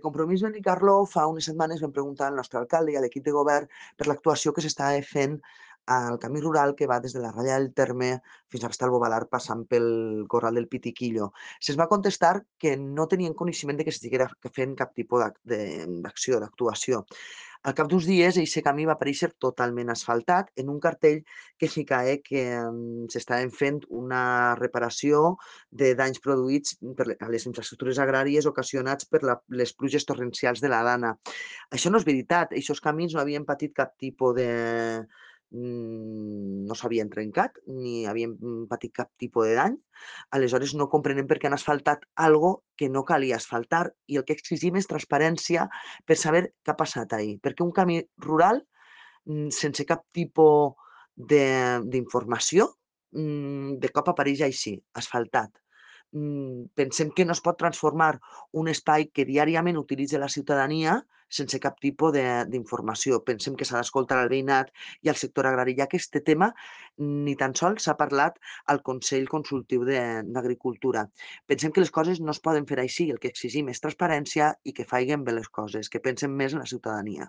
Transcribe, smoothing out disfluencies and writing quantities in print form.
Compromís Benicarló fa unes setmanes vam preguntar al nostre alcalde i a l'equip de govern per l'actuació que s'estava fent al camí rural que va des de la ratlla del Terme fins a Estalbobalar passant pel Corral del Pitiquillo. Se'ns va contestar que no tenien coneixement de que s'estigués fent cap tipus d'acció, d'actuació. Al cap d'uns dies, aquest camí va aparèixer totalment asfaltat en un cartell que ficava que s'estaven fent una reparació de danys produïts a les infraestructures agràries ocasionats per les pluges torrencials de la Dana. Això no és veritat. Aquests camins no havien patit cap tipus de... no s'havien trencat ni havien patit cap tipus de dany. Aleshores no comprenem per què han asfaltat algo que no calia asfaltar i el que exigim és transparència per saber què ha passat ahir. Perquè un camí rural sense cap tipus d'informació de cop apareix així, asfaltat. Pensem que no es pot transformar un espai que diàriament utilitza la ciutadania sense cap tipus d'informació. Pensem que s'ha d'escoltar el veïnat i el sector agrari, ja que aquest tema ni tan sols s'ha parlat al Consell Consultiu d'Agricultura. Pensem que les coses no es poden fer així. El que exigim és transparència i que faiguen bé les coses, que pensen més en la ciutadania.